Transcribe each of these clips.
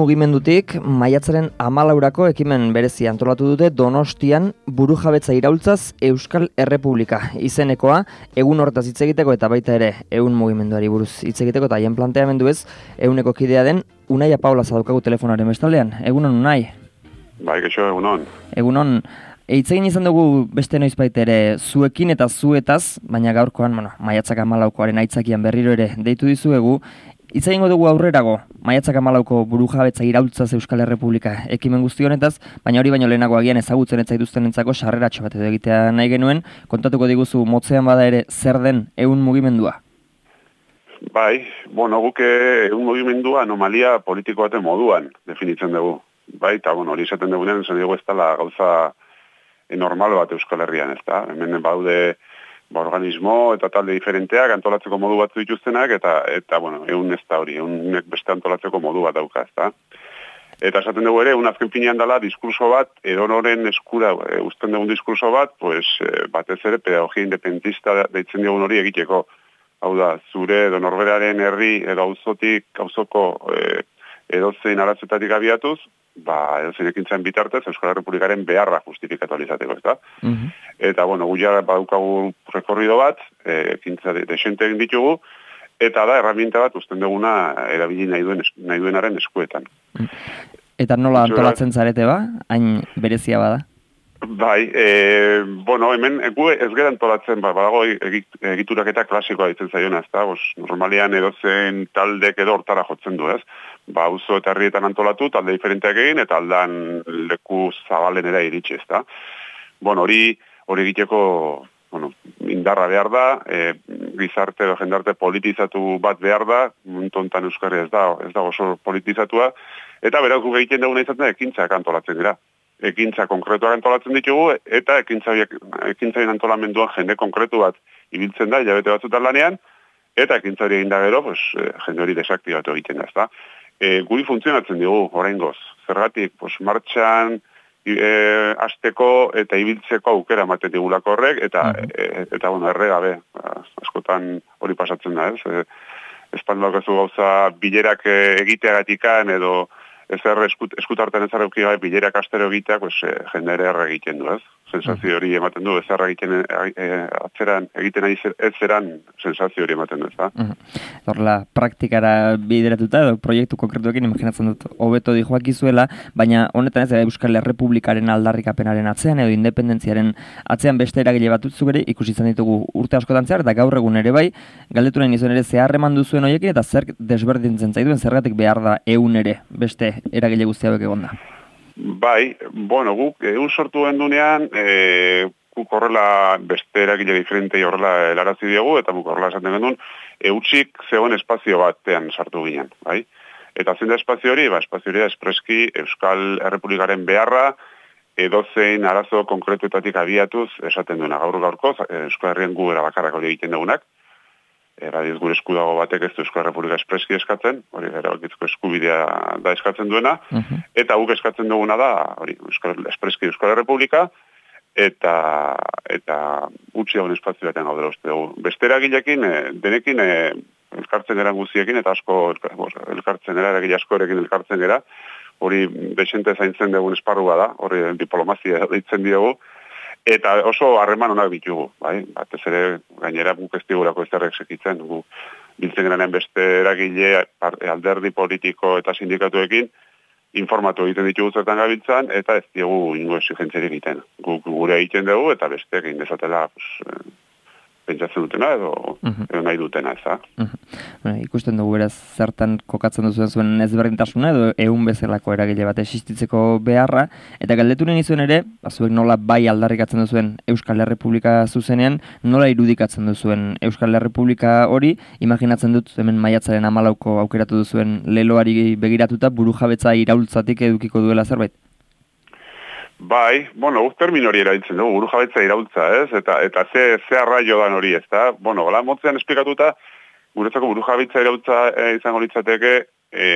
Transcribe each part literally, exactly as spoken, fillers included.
mugimendutik maiatzaren hamalaurako ekimen berezi antolatu dute Donostian burujabetza iraultzaz Euskal Errepublika izenekoa, egun horretaz hitz egiteko eta baita ere ehun mugimenduari buruz hitz egiteko eta haien planteamendu ez, ehuneko kidea den Unai Paula daukagu telefonaren bestaldean. Egunon, Unai? Bai, geixo, egunon. Egunon. Hitz egin izan dugu beste noizbait ere zuekin eta zuetaz, baina gaurkoan, bueno, maiatzak hamalaukoaren aitzakian berriro ere deitu dizuegu. Hitz egingo dugu aurrerago, maiatzak hamalauko burujabetza iraultzaz Euskal Errepublika ekimen guzti honetaz, baina hori baino lehenago agian ezagutzen ez zaituztenentzako sarreratxo bat edo egitea nahi genuen, kontatuko diguzu motzean bada ere zer den ehun mugimendua? Bai, bueno, guke ehun mugimendua anomalia politiko baten moduan definitzen dugu. Bai, eta bueno, hori izaten dugunean, esan dugu ez dela gauza normal bat Euskal Herrian, ez da? Hemen baude ba, organismo eta talde diferenteak antolatzeko modu batzu dituztenak, eta, eta bueno, egun ez da hori, egunek beste antolatzeko modu bat dauka, ez da? Eta esaten dugu ere, un azken pinean dela diskurso bat, edonoren eskura e, uzten dugun diskurso bat, pues, e, batez ere pedagogia independentista deitzen dugun hori egiteko. Hau da, zure edo norberaren herri edo auzotik, auzoko e, edozein arazoetatik abiatuz, ba, edozein ekintzen bitartez, Euskal Errepublikaren beharra justifikatu alizateko, ez da? Mm-hmm. Eta, bueno, guia badukagu rekorrido bat, e, ekintza de, desente egin ditugu, eta da, herramienta bat uzten duguna erabili nahi, duen, nahi duenaren eskuetan. Eta nola antolatzen zarete ba? Hain berezia bada? Bai, e, bueno, hemen gu ez gara antolatzen, ba, badago egituraketa klasikoa ditzen zaiona, ez da? Bos, normalian edozen taldek edo hortara jotzen du, ez? Ba, auzo eta herrietan antolatu, talde diferenteak egin, eta aldan leku zabalenera iritsi, ez da? Bueno, hori hori egiteko, bueno, indarra behar da, e, gizarte edo jendarte politizatu bat behar da, muntontan Euskarri ez da, ez da oso politizatua, eta beraz gu egiten duguna izaten ekintzak antolatzen dira. Ekintza konkretuak antolatzen ditugu, eta ekintzaren antolamenduan jende konkretu bat ibiltzen da, hilabete batzutan lanean, eta ekintza hori egin da gero, pues, jende hori desaktibatu egiten da, ez da. E, guri funtzionatzen dugu, oraingoz. Zergatik, pues, martxan e, hasteko eta ibiltzeko aukera ematen digulako horrek, eta, mm-hmm. e, eta bueno, erregabe, askotan hori pasatzen da, ez? E, Espanduak ez du gauza bilerak egiteagatikan edo ezer eskut, eskutarten ez arreuki gai bilerak astero egiteak, pues, e, jende ere erre egiten du, ez? Sensazio hori ematen du, ez erre egiten e, atzeran, egiten ez zeran sensazio hori ematen du, ez da? Horrela, praktikara bideratuta edo proiektu konkretuekin imaginatzen dut hobeto dijoak izuela, baina honetan ez Euskal Errepublikaren aldarrikapenaren atzean edo independentziaren atzean beste eragile bat utzu bere ikusi izan ditugu urte askotan zehar, eta gaur egun ere bai, galdetu nahi nizuen ere zeharreman duzuen horiekin eta zer desberdintzen zaituen zergatik behar da ehun ere beste eragile guzti hauek egon da. Bai, bueno, guk egun sortu gendunean, e, guk horrela beste eragile diferentei horrela helarazi diegu, eta guk horrela esaten gendun, eutxik zegoen espazio batean sartu ginen, bai? Eta zein da espazio hori, ba, espazio hori da espreski Euskal Errepublikaren beharra, edozein arazo konkretuetatik abiatuz esaten duena. Gaur gaurko, Euskal Herrien gu erabakarrak hori egiten dugunak, eradiz gure eskudago batek ez du Euskal Errepublika espreski eskatzen, hori erabakitzko eskubidea da eskatzen duena, uh-huh. Eta guk eskatzen duguna da, hori, Euskal, espreski Euskal Errepublika, eta eta utzi hauen espazio batean gaudela uste dugu. Beste eragilekin, denekin, elkartzen eran guziekin, eta asko elkartzen era, eragile asko erekin elkartzen era, hori desente zaintzen dugun esparrua da, hori diplomazia deitzen diogu, eta oso harreman onak ditugu, bai? Batez ere gainera guk ez digurako ez derrek sekitzen, gu biltzen geranean beste eragile, alderdi politiko eta sindikatuekin, informatu egiten ditugu zertan gabiltzan, eta ez diegu ingo exigentzeri egiten. Guk gure egiten dugu, eta beste egin dezatela, pues, pentsatzen dutena edo, uh-huh. edo nahi dutena, ez da? Uh-huh. Bueno, ikusten dugu beraz zertan kokatzen duzuen zuen ezberdintasuna edo ehun bezalako eragile bat existitzeko beharra, eta galdetu nahi zuen ere, bazuek nola bai aldarrikatzen duzuen Euskal Errepublika zuzenean, nola irudikatzen duzuen Euskal Errepublika hori, imaginatzen dut hemen maiatzaren hamalauko aukeratu duzuen leloari begiratuta burujabetza iraultzatik edukiko duela zerbait? Bai, bueno, guk termino hori erabiltzen dugu, burujabetza iraultza, ez? Eta, eta ze, ze arraio dan hori, ez da? Bueno, gola motzean esplikatuta, guretzako burujabetza iraultza e, izango litzateke e,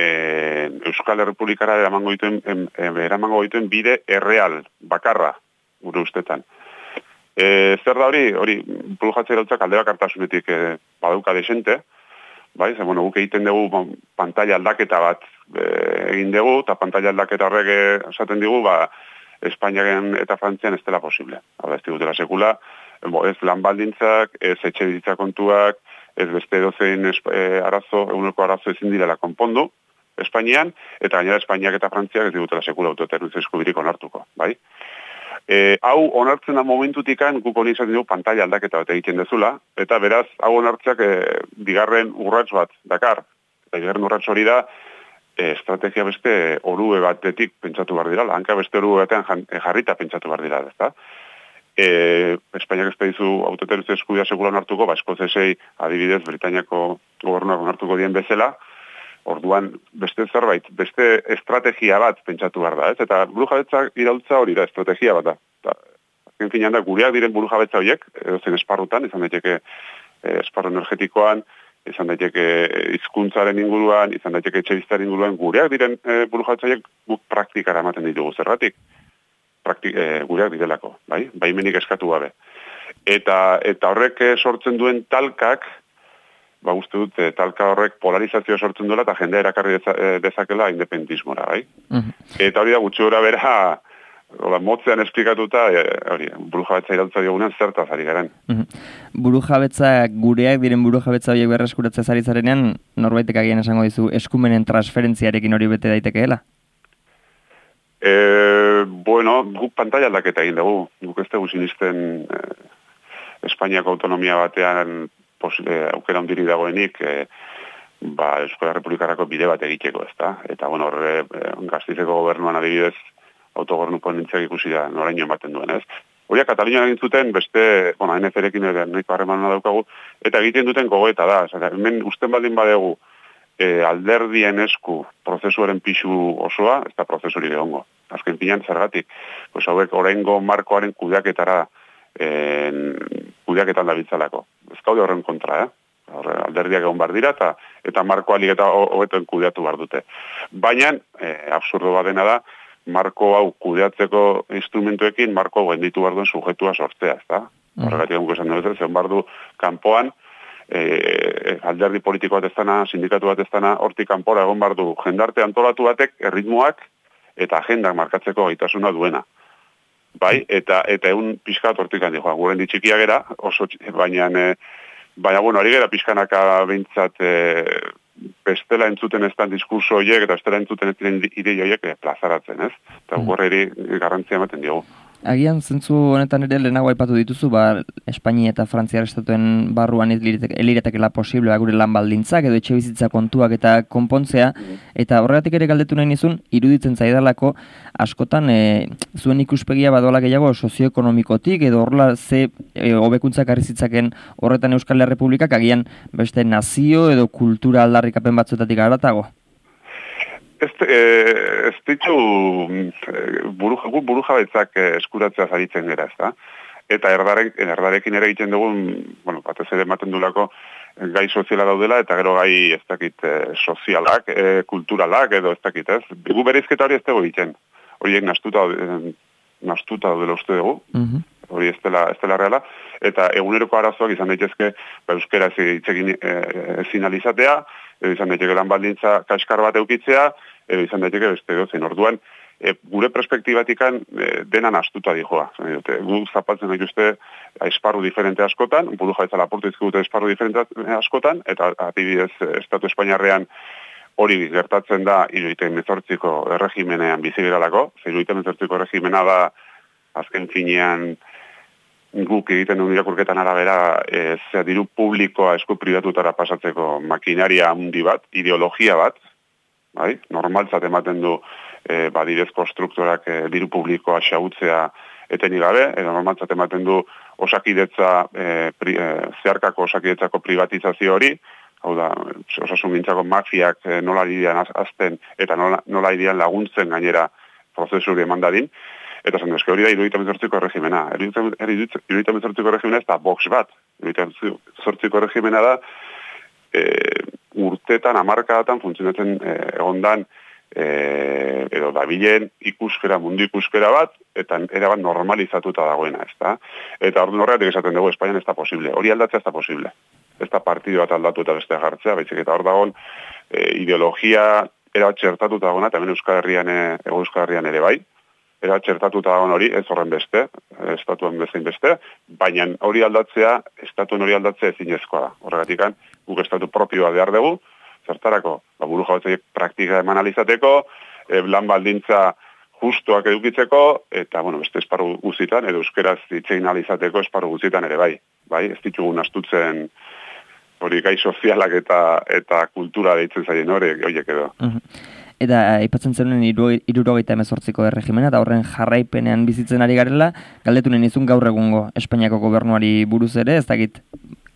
Euskal Errepublikara eramango dituen, e, eramango dituen bide erreal, bakarra, gure ustetan. E, zer da hori, hori burujabetza iraultzak alde bakartasunetik e, badauka desente, bai, ze, bueno, guk egiten dugu bon, pantalla aldaketa bat e, egin dugu, eta pantalla aldaketa horrek esaten digu, ba, Espainiaren eta Frantzian ez dela posible. Hau ez digutela sekula, bo, ez lan baldintzak, ez etxe bizitza kontuak, ez beste dozein e, arazo, eguneko arazo ezin direla konpondu, Espainian, eta gainera Espainiak eta Frantziak ez digutela sekula autodeterminazio eskubirik onartuko, bai? E, hau onartzen da momentutikan guk honi izaten dugu pantalla aldaketa bat egiten dezula, eta beraz, hau onartzeak e, bigarren urrats bat dakar. Eta bigarren urrats hori da, e, estrategia beste orue batetik pentsatu behar dira, hanka beste orue batean jarrita pentsatu behar dira, ezta? E, Espainiak ez da dizu autodeterminazio eskubidea sekula onartuko, ba, eskozesei adibidez Britainiako gobernuak onartuko dien bezala, orduan beste zerbait, beste estrategia bat pentsatu behar da, ez? Eta burujabetza iraultza hori da, estrategia bat da. Eta, azken finean da, gureak diren burujabetza horiek, edozen esparrutan, izan daiteke esparru energetikoan, izan daiteke hizkuntzaren inguruan, izan daiteke etxebizitaren inguruan, gureak diren e, burujabetza horiek guk praktikara ematen ditugu zerratik. Praktik, e, gureak direlako, bai? Baimenik eskatu gabe. Eta, eta horrek sortzen duen talkak, ba, uste dut, e, talka horrek polarizazioa sortzen duela eta jendea erakarri deza, e, dezakela independentismora, bai? Uh-huh. Eta hori da gutxi gora bera, hola, motzean esplikatuta, e, hori, burujabetza iraultza diogunean zertaz ari garen. Uh-huh. Burujabetza, gureak diren burujabetza horiek berreskuratzea zari zarenean, norbaitek agian esango dizu, eskumenen transferentziarekin hori bete daitekeela? E, bueno, guk pantalla aldaketa egin dugu, guk ez dugu sinisten e, Espainiako autonomia batean posible aukera hundirik dagoenik, e, ba, Euskal Republikarako bide bat egiteko, ezta? Eta, bueno, horre, e, Gastizeko gobernuan adibidez, autogobernu ponentziak ikusi da, noraino ematen duen, ez? Horiak Katalunian egin zuten, beste, bueno, N F R-ekin ere nahiko harremana daukagu, eta egiten duten gogoeta da, zara, hemen usten baldin badegu, e, alderdien esku prozesuaren pixu osoa, ez da prozesurik egongo. Azken pinan zergatik, pues hauek oraingo markoaren kudeaketara en, kudeaketan dabiltzalako. Ez gaude horren kontra, eh? Horre, alderdiak egon bar dira, eta, eta marko alik eta hobeten kudeatu bar dute. Baina, e, absurdo badena da, marko hau kudeatzeko instrumentuekin, marko hau genditu bar duen sujetua sortzea, ez da? Horregatik egun esan dut, zen bar du kanpoan, e, alderdi politiko bat ez dana, sindikatu bat ez dana, hortik kanpora egon bar du jendarte antolatu batek, erritmoak eta agendak markatzeko gaitasuna duena. Bai, eta eta egun pixkat hortik handi joan, guren ditxikia gera, oso, baina, e, baina, bueno, hori gera pixkanaka behintzat e, bestela entzuten ez dan diskurso horiek, eta bestela entzuten ez diren idei horiek e, plazaratzen, ez? Eta mm. gorreri garrantzia ematen diogu. Agian, zentzu honetan ere lehenago aipatu dituzu, ba, Espainia eta Frantziar estatuen barruan eliretakela posiblea gure lan baldintzak edo etxe bizitza kontuak eta konpontzea, mm. eta horregatik ere galdetu nahi nizun, iruditzen zaidalako, askotan, e, zuen ikuspegia badoala gehiago sozioekonomikotik edo horrela ze e, hobekuntzak arrizitzaken horretan Euskal Errepublikak agian beste nazio edo kultura aldarrikapen batzuetatik haratago? Ez, ez ditu buruja, burujabetzak eskuratzea zaritzen gara, ez da? Eta erdarek, erdarekin ere egiten dugun, bueno, batez ere ematen dulako gai soziala daudela, eta gero gai ez dakit sozialak, e, kulturalak edo ez dakit, ez? Gu bereizketa hori ez dugu egiten. Horiek nastuta, nastuta daudela uste dugu, uh-huh. Hori ez dela, ez dela reala, eta eguneroko arazoak izan daitezke, ba, euskera ez ezin alizatea, edo izan daiteke lan baldintza kaskar bat eukitzea, edo izan daiteke beste dozen. Orduan, e, gure perspektibatikan e, denan astuta dijoa. Gu zapaltzen dituzte esparru diferente askotan, buru jabetza laportu izkudute esparru diferente askotan, eta adibidez Estatu Espainiarrean hori gertatzen da hirurogeita hemezortziko erregimenean bizi geralako. hirurogeita hemezortziko erregimena da azken finean guk egiten duen irakurketan arabera e, zera diru publikoa esku pribatutara pasatzeko makinaria handi bat, ideologia bat, bai? Normaltzat ematen du e, badirez konstruktorak e, diru publikoa xautzea etenik gabe, edo normaltzat ematen du osakidetza, e, pri, e, zeharkako osakidetzako privatizazio hori, hau da, osasun gintzako mafiak e, nola irian azten eta nola, nola irian laguntzen gainera prozesuri eman dadin. Eta zen dezke hori da hirurogeita hemezortziko erregimena. hirurogeita hemezortziko erregimena ez da box bat. hirurogeita hemezortziko erregimena da e, urtetan, hamarkadatan funtzionatzen e, egondan e, edo dabilen ikuskera, mundu ikuskera bat, eta erabat normalizatuta dagoena, ez da? Eta orduan horregatik esaten dugu, Espainian ez da posible. Hori aldatzea ez da posible. ez da partidu bat aldatu eta bestea jartzea, baizik eta hor dagoen e, ideologia era txertatuta dagoena, eta hemen Euskal Herrian, Ego Euskal Herrian ere bai, era txertatuta dagoen hori, ez horren beste, estatuan bezain beste, baina hori aldatzea, estatuen hori aldatzea ezinezkoa da. Horregatik, guk estatu propioa behar dugu, zertarako, ba, buru jabetzaiek praktika eman alizateko, e, lan baldintza justuak edukitzeko, eta, bueno, beste esparru guzitan, edo euskeraz itzein alizateko esparru guzitan ere bai. Bai, ez ditugun astutzen hori gai sozialak eta eta kultura deitzen zaien horiek, horiek edo. Eta aipatzen zenuen hirurogeita hemezortziko erregimena, eta horren jarraipenean bizitzen ari garela, galdetunen izun gaur egungo Espainiako gobernuari buruz ere, ez dakit,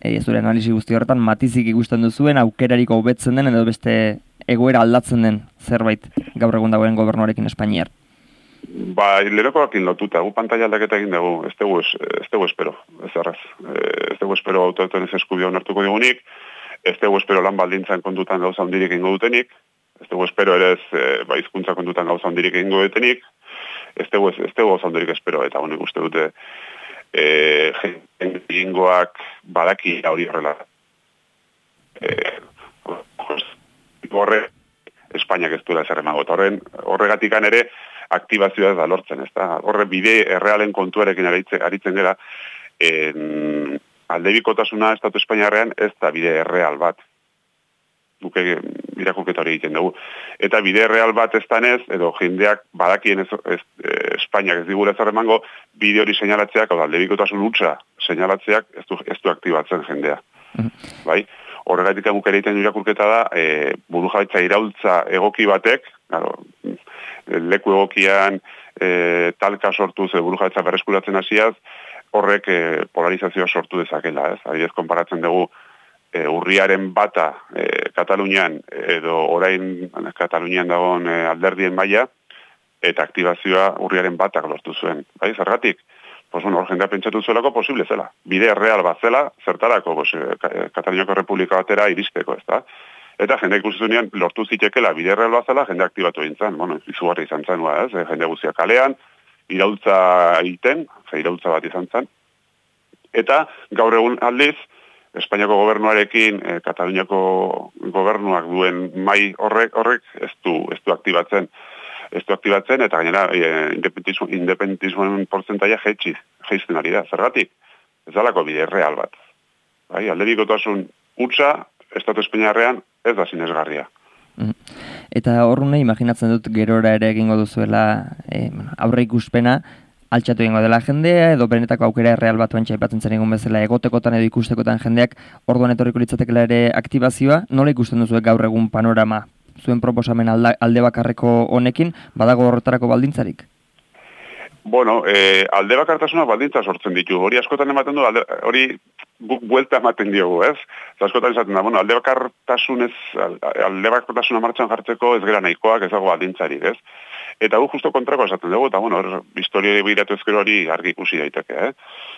e, zure analisi guzti horretan, matizik ikusten duzuen, aukerariko hobetzen den, edo beste egoera aldatzen den zerbait gaur egun dagoen gobernuarekin Espainiar. Ba, lerokoakin lotuta, gu pantaila aldaketa egin dugu, ez dugu, ez dugu espero, ez arraz. Ez dugu espero autoetan ez eskubia onartuko digunik, ez dugu espero lan baldintzan kontutan gauza hondirik ingo dutenik, ez dugu espero ere ez ba, hizkuntza kontutan gauza hondirik ingo dutenik, ez dugu, ez dugu gauza hondirik espero, eta honek uste dute e, jengoak badaki hori horrela. E, horre, Espainiak ez duela zer emango, eta horren, horregatikan ere, aktibazioa ez da lortzen, ez da? Horre bide errealen kontuarekin aritzen gara, en, aldebikotasuna Estatu Espainiarrean ez da bide erreal bat. Duke irakurketa hori egiten dugu. Eta bide erreal bat ez danez, edo jendeak badakien ez, ez, Espainiak ez digula zer emango, bide hori seinalatzeak, hau da, aldebikotasun hutsa seinalatzeak ez du, ez du aktibatzen jendea. Mm-hmm. Bai? Horregatik guk ere egiten irakurketa da, e, burujabetza iraultza egoki batek, claro, leku egokian e, talka sortuz e, burujabetza berreskuratzen hasiaz, horrek e, polarizazioa sortu dezakela, ez? Adibidez, konparatzen dugu e, urriaren bata e, Katalunian, edo orain Katalunian dagoen e, alderdien maila, eta aktibazioa urriaren batak lortu zuen. Bai, zergatik? Pues bueno, hor jendea pentsatu zuelako posible zela. Bide real bat zela, zertarako, pues, Kataluniako Republika batera iristeko, ez da? Eta jende ikusizunean lortu zitekela bide real bat zela, jende aktibatu egin zen, bueno, izugarri izan zen, ez? Jende guztia kalean, iraultza egiten, ze iraultza bat izan zen. Eta gaur egun aldiz, Espainiako gobernuarekin, eh, Kataluniako gobernuak duen mai horrek, horrek ez du, ez du aktibatzen. Ez du aktibatzen, eta gainera e, independentismoen portzentaia jetxi, jeizten ari da. Zergatik, ez dalako bide real bat. Bai, aldebikotasun hutsa, Estatu Espainiarrean ez da sinesgarria. Eta horrune, imaginatzen dut gerora ere egingo duzuela e, aurre ikuspena, altxatu egingo dela jendea, edo benetako aukera real bat bantxa aipatzen zen egun bezala egotekotan edo ikustekotan jendeak orduan etorriko litzatekela ere aktibazioa, nola ikusten duzuek gaur egun panorama zuen proposamen alda, alde bakarreko honekin, badago horretarako baldintzarik? Bueno, eh, alde bakartasuna baldintza sortzen ditu. Hori askotan ematen du, alde, hori guk buelta ematen diogu, ez? Askotan esaten da, bueno, alde bakartasunez, alde bakartasuna martxan jartzeko ez gera nahikoak, ez dago baldintzarik, ez? Eta gu justo kontrako esaten dugu, eta bueno, historia begiratu ezkero hori argi ikusi daiteke, eh?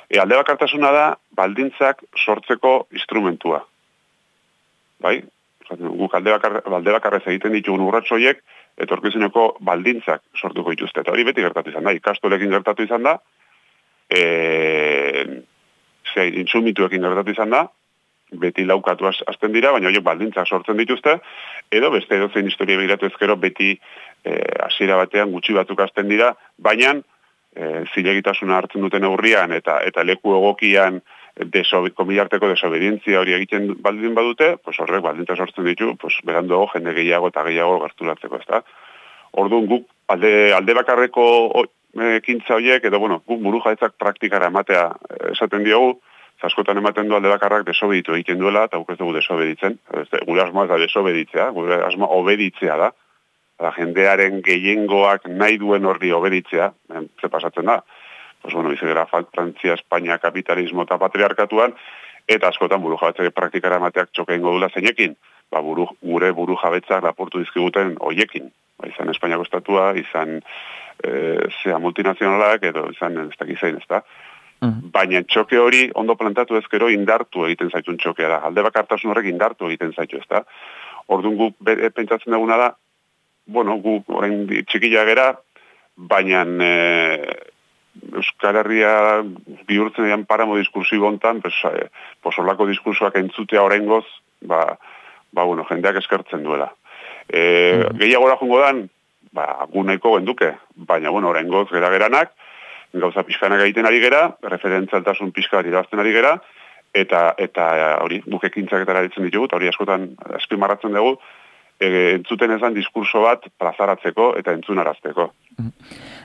E, alde bakartasuna da baldintzak sortzeko instrumentua. Bai? Guk alde bakar, bakarrez egiten ditugun urrats horiek, etorkizuneko baldintzak sortuko dituzte. Eta hori beti gertatu izan da, ikastolekin gertatu izan da, e, ze, intsumituekin gertatu izan da, beti laukatu azten dira, baina horiek baldintzak sortzen dituzte, edo beste edo zein historia begiratu ezkero beti hasiera e, batean gutxi batzuk azten dira, baina e, zilegitasuna hartzen duten aurrian eta, eta leku egokian Desobe, komilarteko desobedientzia hori egiten baldin badute, pues horrek baldintza sortzen ditu, pues beranduago jende gehiago eta gehiago gerturatzeko, ezta. Orduan guk alde, alde bakarreko ekintza horiek, edo bueno, guk burujabetzak praktikara ematea esaten diogu, askotan ematen du alde bakarrak desobeditu egiten duela, eta guk ez dugu desobeditzen. Gure asmoa ez da desobeditzea, gure asmoa obeditzea da. Da, jendearen gehiengoak nahi duen horri obeditzea, ze pasatzen da. Pues bueno, bizera Frantzia, Espainia, kapitalismo eta patriarkatuan, eta askotan buru jabetzak praktikara emateak txoke ingo dula zeinekin, ba, buru, gure buru jabetzak laportu dizkiguten hoiekin. Ba, izan Espainiako estatua, izan e, zea multinazionalak, edo izan ez dakizein, ez da. Uh-huh. Baina txoke hori ondo plantatu ezkero indartu egiten zaitun txokea da. Alde bakartasun horrek indartu egiten zaitu, ez da. Orduan guk pentsatzen duguna da, bueno, guk orain txikila gera, baina... E, Euskal Euskal Herria bihurtzen dian paramo diskursibo hontan, pues, eh, pues olako diskursoak entzutea oraingoz, ba, ba, bueno, jendeak eskertzen duela. E, mm. Gehiagora jungo dan, ba, gunaiko genduke, baina, bueno, oraingoz gera-geranak, gauza pixkanak egiten ari gera, referentzialtasun pixka irabazten ari gera, eta eta hori, guk ekintzaketara ditzen ditugu, eta hori askotan azpimarratzen dugu, e, entzuten ezan diskurso bat plazaratzeko eta entzunarazteko.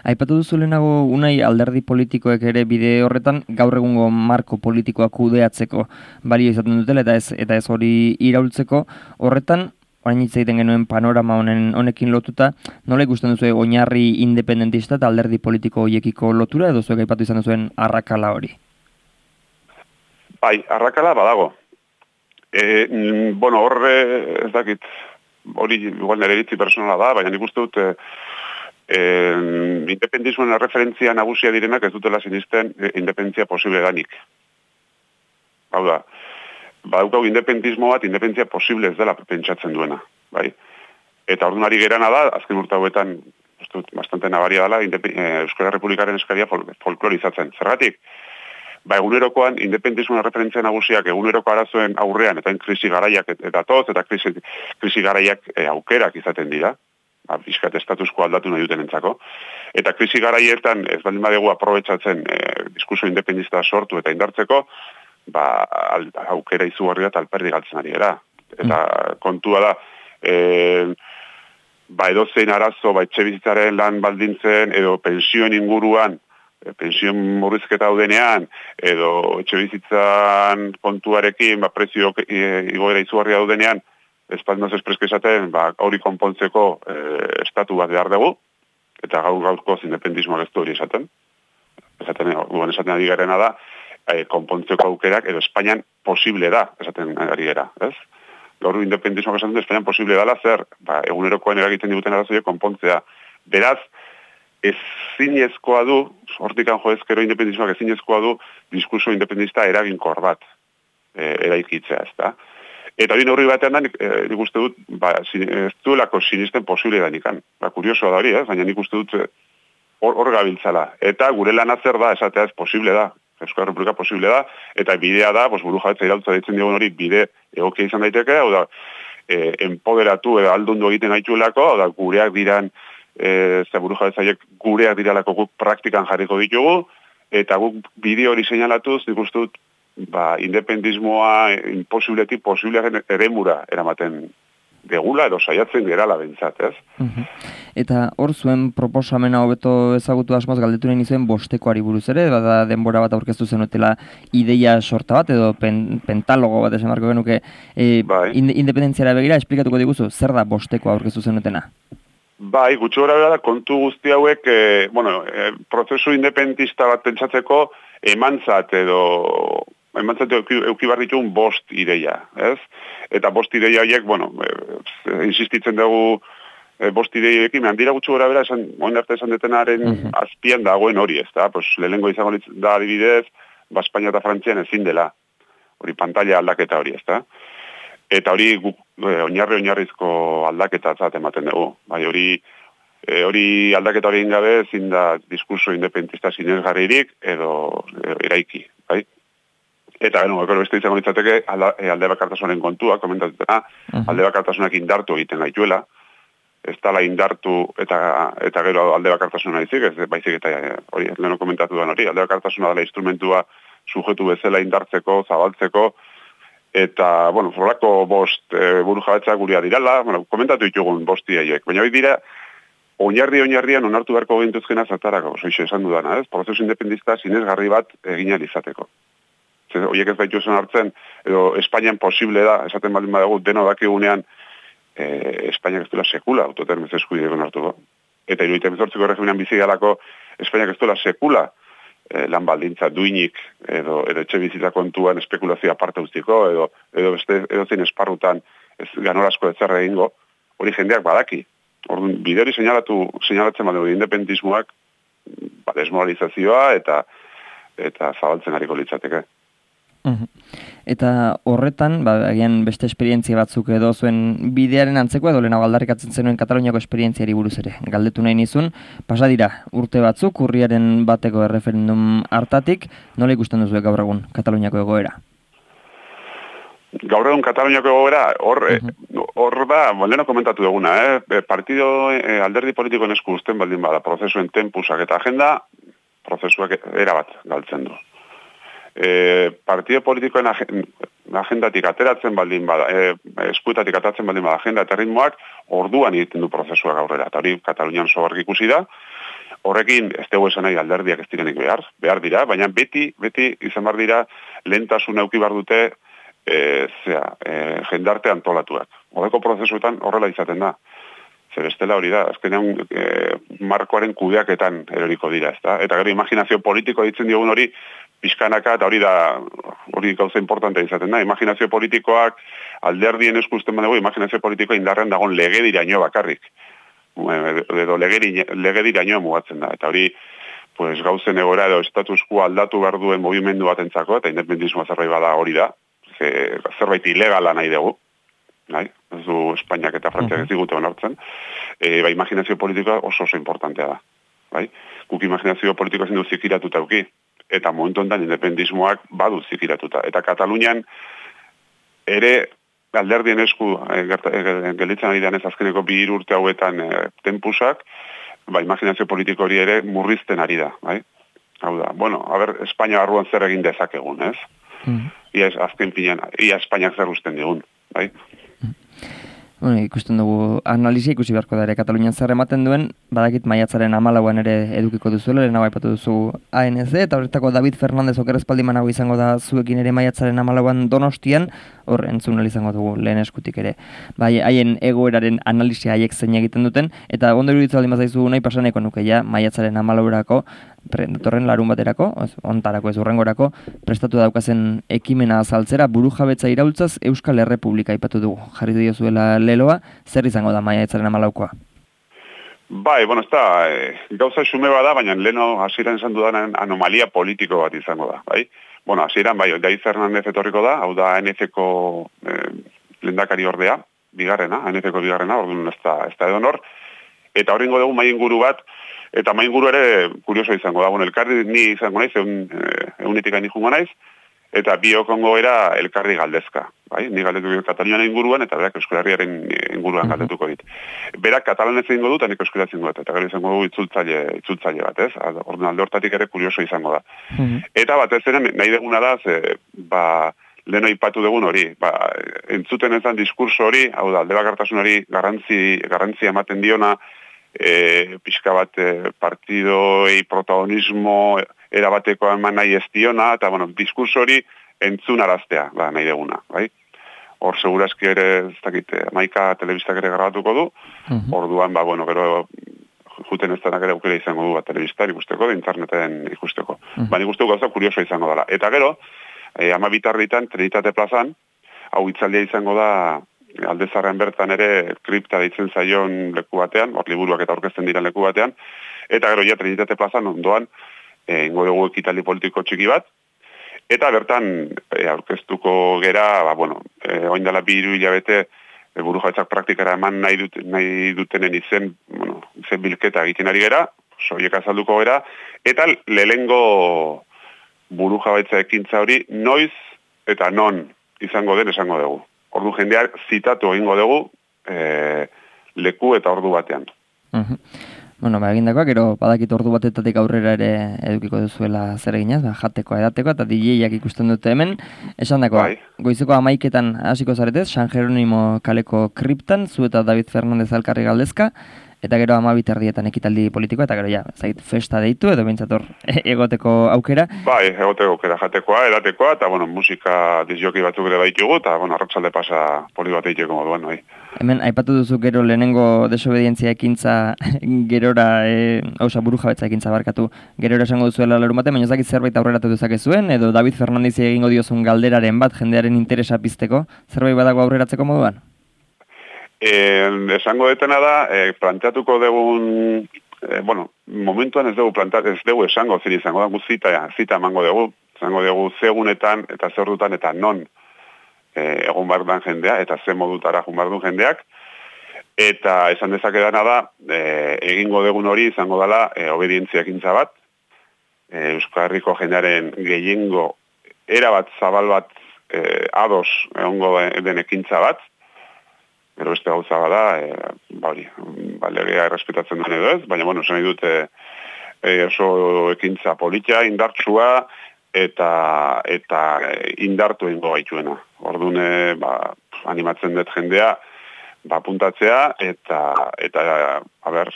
Aipatu duzu lehenago unai alderdi politikoek ere bide horretan gaur egungo marko politikoa kudeatzeko balio izaten dutela eta ez eta ez hori iraultzeko horretan orain hitz egiten genuen panorama honen honekin lotuta, nola ikusten duzu oinarri independentista eta alderdi politiko horiekiko lotura edo zuek aipatu izan duzuen arrakala hori? Bai, arrakala badago. E, bueno, horre ez dakit, hori igual nire iritzi personala da, baina nik uste dut e, e, independizmoen referentzia nagusia direnak ez dutela sinisten e, independentzia posible danik. Hau da, badukau independizmo bat, independentzia posible ez dela pentsatzen duena, bai? Eta ordunari gerana da, azken urte hauetan, bastante nabaria dela, Euskal Republikaren eskaria fol, folklorizatzen. Zergatik? Ba, egunerokoan, independizmoen referentzia nagusiak eguneroko arazoen aurrean, eta krisi garaiak eta toz, eta krisi, krisi garaiak e, aukerak izaten dira, ba, bizkat estatusko aldatu nahi duten entzako. Eta krisi garaietan ez baldin badegu aprobetsatzen e, diskurso independista sortu eta indartzeko, ba, al, aukera izugarri bat alperdi galtzen ari gara. Eta mm. kontua da, e, ba, edozein arazo, ba, etxebizitzaren lan baldintzen, edo pensioen inguruan, pensioen murrizketa daudenean, edo etxebizitzan kontuarekin, ba, prezio e, igoera izugarria daudenean, espaldinoz espreske esaten, ba, hori konpontzeko e, estatu bat behar dugu, eta gaur gaurko independismoak ez du hori esaten. Esaten, guen esaten ari garena da, e, konpontzeko aukerak, edo Espainian posible da, esaten ari gara, ez? Gaur independismoak esaten du, Espainian posible dala zer, ba, egunerokoan eragiten diguten arazoiek konpontzea. Beraz, ezinezkoa du, hortikan joezkero independizmoak ezinezkoa du, diskurso independista eraginkor bat e, eraikitzea, ez da. Eta hori neurri batean da, nik, e, nik uste dut, ba, ez duelako sinisten posible da nikan. Ba, kuriosoa da hori, eh? Baina nik uste dut hor, hor gabiltzala. Eta gure lan zer da, esatea ez posible da. Euskal Republika posible da, eta bidea da, pues, buru jabetza irautza ditzen digun hori, bide egokia izan daiteke, hau da, e, empoderatu edo aldundu egiten gaituelako, hau da, gureak diran, E, ze buru jabetzaiek gureak diralako guk praktikan jarriko ditugu, eta guk bideo hori seinalatuz, nik uste dut, ba, independismoa imposibletik posiblearen eremura eramaten degula, edo saiatzen gerala bentsat, ez? Uh-huh. Eta hor zuen proposamena hobeto ezagutu asmoz galdetu nahi nizuen bostekoari buruz ere, bada denbora bat aurkeztu zenutela ideia sorta bat, edo pen, pentalogo bat esan marko genuke, e, bai. Independentziara begira, esplikatuko diguzu, zer da bosteko aurkeztu zenutena? Bai, gutxi gora bera da, kontu guzti hauek, e, bueno, e, prozesu independentista bat pentsatzeko emantzat edo emantzat euki, euki barritun bost ideia, ez? Eta bost ideia horiek, bueno, e, insistitzen dugu e, bost ideiekin, handira gutxi gora bera, esan, oin arte esan detenaren uh-huh. azpian dagoen hori, ez da? Pues, lehenengo izango da adibidez, ba, Espainia eta Frantzian ezin dela, hori pantalla aldaketa hori, ez da? Eta hori guk oinarri oinarrizko aldaketa zat ematen dugu. Bai, hori e, hori aldaketa hori gabe ezin da diskurso independentista sinesgarririk edo e, eraiki, bai? Eta bueno, gero beste izango litzateke alde, alde bakartasunaren kontua, komentatutena, uh-huh. alde bakartasunak indartu egiten gaituela. Ez dala indartu eta eta gero alde bakartasuna izik, ez baizik eta hori leno komentatu da hori, alde bakartasuna dela instrumentua sujetu bezala indartzeko, zabaltzeko. Eta, bueno, forako bost e, buru jabetza guria dirala, bueno, komentatu ditugun bosti haiek. Baina hori dira, oinarri-oinarrian onartu beharko gintuzkena zartarako, soixe esan dudana, ez? Prozesu independista sinesgarri bat egin izateko. Zer, horiek ez baitu esan hartzen, edo Espainian posible da, esaten baldin badago, deno dakigunean, e, Espainiak ez duela sekula autotermez eskubideko onartuko. Eta iruditzen bezortziko regimenan bizi galako, Espainiak ez duela sekula, lan baldintza duinik edo, edo etxe bizitza kontuan espekulazioa parte ustiko edo, edo beste edo zein esparrutan ez ganorazko etzerra egingo, hori jendeak badaki. Orduan, bide hori seinalatu, seinalatzen badugu independismoak ba, desmoralizazioa eta eta zabaltzen hariko litzateke. Mhm. Eta horretan, ba, agian beste esperientzia batzuk edo zuen bidearen antzeko edo lehenago aldarrikatzen zenuen Kataluniako esperientziari buruz ere. Galdetu nahi nizun, pasa dira urte batzuk, urriaren bateko erreferendum hartatik, nola ikusten duzu gaur egun Kataluniako egoera? Gaur egun Kataluniako egoera, hor, uh-huh. hor da, leheno komentatu duguna, eh? partido eh, alderdi politikoen esku uzten baldin bada, prozesuen tempusak eta agenda, prozesuak erabat galtzen du. E, partido politikoen agendatik ateratzen baldin bada, e, eskuetatik ateratzen baldin bada agenda eta ritmoak, orduan egiten du prozesuak aurrera. Eta hori Katalunian sogarrik ikusi da, horrekin ez dugu esan nahi alderdiak ez direnik behar, behar dira, baina beti, beti izan behar dira lehentasun euki behar dute e, zera, e, jendarte antolatuak. Horreko prozesuetan horrela izaten da. Zer bestela hori da, azkenean e, markoaren kudeaketan eroriko dira, ezta? Eta gero imaginazio politiko ditzen diogun hori pixkanaka, eta hori da, hori gauza importantea izaten da. Imaginazio politikoak alderdien eskusten badago, imaginazio politikoa indarrean dagoen legediraino bakarrik. Edo legediraino mugatzen da. Eta hori, pues, gauzen egora edo status quo aldatu behar duen movimendu batentzako, eta independentismoa zerbait bada hori da, zerbait ilegala nahi dugu. Nahi, ez du Espainiak eta Frantziak ez digute onartzen, e, ba, imaginazio politikoa oso oso importantea da. Bai? Guk imaginazio politikoa zen du zikiratuta auki, eta momentu honetan independismoak badu zikiratuta. Eta Katalunian ere alderdien esku e, e, gelitzen ari denez azkeneko bi hiru urte hauetan e, tempusak, ba, imaginazio politiko hori ere murrizten ari da. Bai? Hau da, bueno, a ber, Espainia barruan zer egin dezakegun, ez? Mm. Ia azken pinean, ia Espainiak zer usten digun, bai? Bueno, ikusten dugu analisia ikusi beharko da ere Katalunian zer ematen duen, badakit maiatzaren hamalauan ere edukiko duzuela, lehenago aipatu duzu A N Z, eta horretako David Fernandez okerrezpaldimanago izango da zuekin ere maiatzaren hamalauan Donostian, hor entzun izango dugu lehen eskutik ere. Bai, haien egoeraren analisia haiek zein egiten duten, eta ondo iruditzen baldin bazaizu nahi pasaneko nuke ja maiatzaren hamalaurako, datorren larun baterako, ontarako ez urrengorako, prestatu daukazen ekimena azaltzera, burujabetza iraultzaz Euskal Errepublika aipatu dugu. Jarri diozuela leloa, zer izango da maiatzaren hamalaukoa? Bai, bueno, ez da, e, gauza xume bada, baina leno hasieran esan dudan anomalia politiko bat izango da, bai? Bueno, hasieran, bai, David Fernandez etorriko da, hau da A N Z-ko e, lehendakari ordea, bigarrena, A N Z-ko bigarrena, orduan ez da, ez da edonor, eta horrengo dugu maien guru bat, eta main guru ere kurioso izango da. Bueno, elkarri ni izango naiz, egun, egunetik hain jungo naiz, eta biokongo era elkarri galdezka. Bai? Ni galdetu Katalunian inguruan, eta berak Euskal Herriaren inguruan galdetuko dit. Berak katalanez egingo dut, eta nik euskara egingo dut, eta gero izango du itzultzaile, itzultzaile bat, ez? Orduan alde hortatik ere kurioso izango da. Mm-hmm. Eta batez ere nahi deguna da, ze, ba, leheno ipatu dugun hori, ba, entzuten ezan diskurso hori, hau da, alde bakartasun hori garrantzi, garrantzi ematen diona, E, pixka bat e, partidoei protagonismo erabateko eman nahi ez diona, eta bueno, diskurso hori entzun araztea, ba, nahi deguna, bai? Hor segurazki ere, ez dakit, Maika telebistak ere grabatuko du, uh-huh. Orduan, ba, bueno, gero juten ez denak ere aukera izango du, ba, telebistar ikusteko, de interneten ikusteko. Uh-huh. Ba, nik uste gauza kurioso izango dela. Eta gero, e, ama bitarritan, Trinitate plazan, hau hitzaldia izango da, Aldezarren bertan ere kripta deitzen zaion leku batean, hor liburuak eta aurkezten diren leku batean, eta gero ja Trinitate plazan ondoan e, ingo dugu ekitaldi politiko txiki bat, eta bertan e, aurkeztuko gera, ba, bueno, e, oin dela bi hiru hilabete e, burujabetzak praktikara eman nahi, dut, nahi dutenen izen, bueno, izen bilketa egiten ari gera, soiek azalduko gera, eta lehengo burujabetza ekintza hori noiz eta non izango den esango dugu. Ordu jendeak zitatu egingo dugu e, leku eta ordu batean. Uh-huh. Bueno, ba, egindakoak, gero badakit ordu batetatik aurrera ere edukiko duzuela zer eginaz, ba, jateko, edateko, eta D J-ak ikusten dute hemen. Esan dako, bai. Goizeko amaiketan hasiko zaretez, San Jeronimo kaleko kriptan, zu eta David Fernandez alkarri galdezka, eta gero amabit erdietan ekitaldi politikoa, eta gero ja, zait, festa deitu, edo bintzator egoteko aukera. Bai, egoteko aukera, jatekoa, edatekoa, eta, bueno, musika disjoki batzuk ere baitugu, eta, bueno, arratsalde pasa poli bat egiteko moduan, bai. Hemen, aipatu duzu gero lehenengo desobedientzia ekintza gerora, e, hausa burujabetza ekintza barkatu, gerora esango duzuela larun batean, baina ez dakit zerbait aurreratu dezakezuen, edo David Fernandez egingo diozun galderaren bat, jendearen interesa pizteko, zerbait badago aurreratzeko moduan? Eh, esango detena da, eh, planteatuko dugun, eh, bueno, momentuan ez dugu planteat, ez dugu esango zin izango da, zita, zita emango dugu, zango dugu zegunetan eta zerdutan eta non e, egon behar den jendea, eta ze modutara egon behar duen jendeak, eta esan dezakedana da, e, egingo degun hori izango dela e, obedientzia ekintza bat, e, Euskal Herriko jendearen gehiengo erabat zabal bat e, ados egongo den ekintza bat, gero beste gauza bada, e, ba hori, ba, legea errespetatzen duen edo ez, baina, bueno, esan nahi dute e, oso ekintza politia, indartsua, eta eta indartu egingo gaituena. Orduan, e, ba, animatzen dut jendea, ba, puntatzea, eta, eta a ber,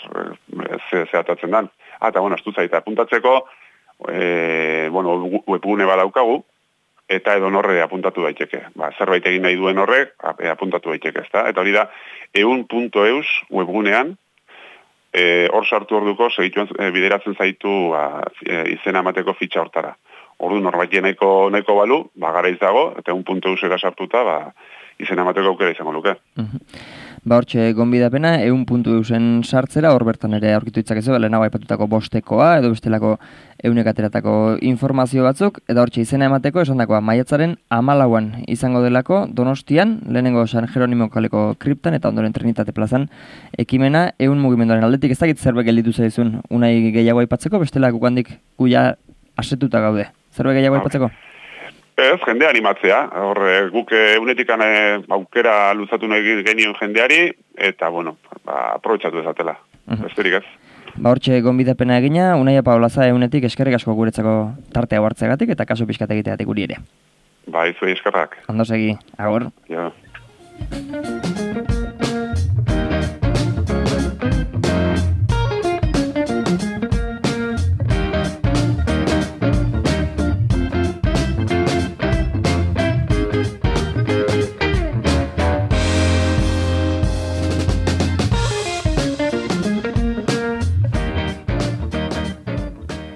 ze, ze atatzen dan. Ah, eta, bueno, astu zaita, puntatzeko, e, bueno, webgune badaukagu, eta edo norre apuntatu daiteke. Ba, zerbait egin nahi duen horrek, apuntatu daiteke, ezta? Eta hori da, eun puntu eus webgunean, e, hor sartu orduko, segituen e, bideratzen zaitu ba, e, izena emateko fitxa hortara. Ordu norbait nahiko, nahiko balu, ba, gara dago, eta eun puntu eusera sartuta, ba, izena emateko aukera izango luke. Ba, hortxe, gonbidapena, eun puntu eusen sartzera, hor bertan ere aurkitu itzakezu, lehenago aipatutako bostekoa, edo bestelako eunek ateratako informazio batzuk, eta hortxe izena emateko, esan dakoa, maiatzaren hamalauan izango delako, Donostian, lehenengo San Jeronimo kaleko kriptan, eta ondoren Trinitate plazan, ekimena, eun mugimenduaren aldetik, ez dakit zerbait gelditu zaizun, unai gehiago aipatzeko, bestelako guandik guia asetuta gaude. Zerbait gehiago aipatzeko? Ez, jendea animatzea. Hor, guk eunetikan aukera luzatu nahi genioen jendeari, eta, bueno, ba, aprobetxatu ezatela. Uh-huh. Besterik ez. Ba, hortxe, gonbidapena egina, Unaia Paolaza eunetik eskerrik asko guretzako tartea hartzegatik eta kaso pixkat egiteatik guri ere. Ba, izuei eskerrak. Ondo segi, agur. Ja.